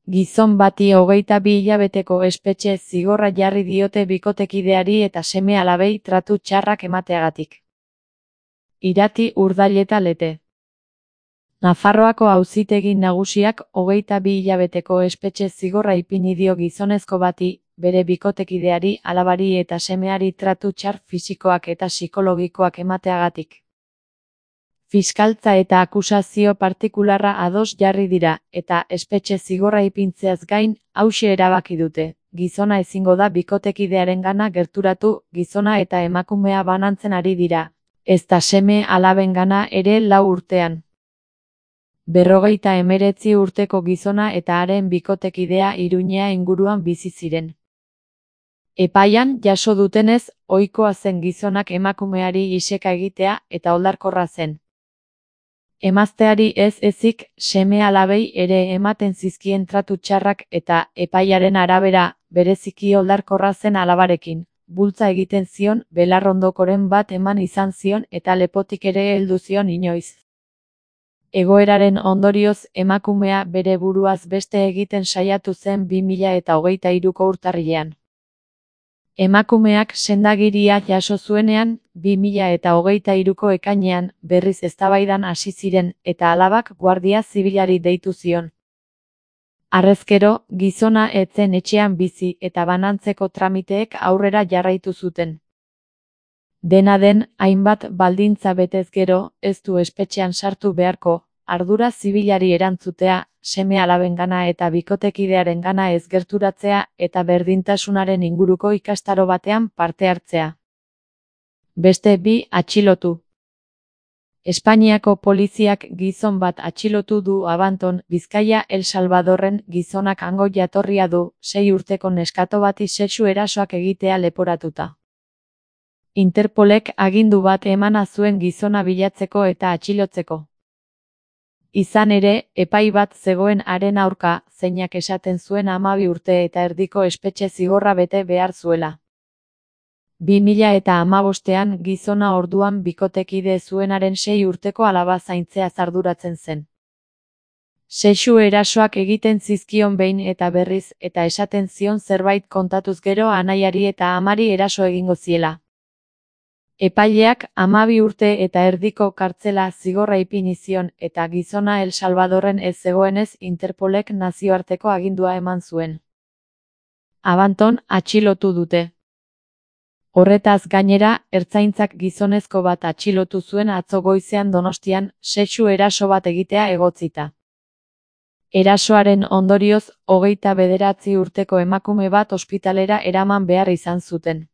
Gizon bati 22 hilabeteko espetxe zigorra jarri diote bikotekideari eta seme-alabei tratu txarrak emateagatik. Irati Urdaileta Lete. Nafarroako Auzitegi Nagusiak 22 hilabeteko espetxe zigorra ipini dio gizonezko bati, bere bikotekideari, alabari eta semeari tratu txar fisikoak eta psikologikoak emateagatik. Fiskaltza eta akusazio partikularra ados jarri dira, eta espetxe zigorra ipintzeaz gain, hauxe erabaki dute. Gizona ezingo da bikotekidearengana gerturatu, gizona eta emakumea banantzen ari dira, ezta seme-alabengana ere 4 urtean. 59 urteko gizona eta haren bikotekidea Iruñea inguruan bizi ziren. Epaian jaso dutenez, ohikoa zen gizonak emakumeari iseka egitea eta oldarkorra zen. Emazteari ez ezik, seme-alabei ere ematen zizkien tratu txarrak eta, epaiaren arabera, bereziki oldarkorra zen alabarekin, bultza egiten zion, belarrondokoren bat eman izan zion eta lepotik ere heldu zion inoiz. Egoeraren ondorioz, emakumea bere buruaz beste egiten saiatu zen 2023ko urtarrilean. Emakumeak sendagiria jaso zuenean, 2023ko ekainean, berriz eztabaidan hasi ziren, eta alabak guardia zibilari deitu zion. Harrezkero, gizona ez zen etxean bizi eta banantzeko tramiteek aurrera jarraitu zuten. Dena den, hainbat baldintza betez gero, ez du espetxean sartu beharko, ardura zibilari erantzutea, seme-alabengana eta bikotekidearengana ez gerturatzea eta berdintasunaren inguruko ikastaro batean parte hartzea. Beste 2 atxilotu. Espainiako poliziak gizon bat atxilotu du Abanton, Bizkaia El Salvadorren. Gizonak hango jatorria du, 6 urteko neskato bati sexu erasoak egitea leporatuta. Interpolek agindu bat emana zuen gizona bilatzeko eta atxilotzeko. Izan ere, epai bat zegoen haren aurka, zeinak esaten zuen 12 urte eta erdiko espetxe zigorra bete behar zuela. 2015ean gizona orduan bikotekide zuenaren 6 urteko alaba zaintzea arduratzen zen. Sexu erasoak egiten zizkion behin eta berriz eta esaten zion zerbait kontatuz gero anaiari eta amari eraso egingo ziela. Epaileak 12 urte eta erdiko kartzela zigorra ipini zion eta gizona El Salvadorren ez zegoenez Interpolek nazioarteko agindua eman zuen. Abanton atxilotu dute. Horretaz gainera, ertzaintzak gizonezko bat atxilotu zuen atzo goizean Donostian, sexu eraso bat egitea egotzita. Erasoaren ondorioz, 29 urteko emakume bat ospitalera eraman behar izan zuten.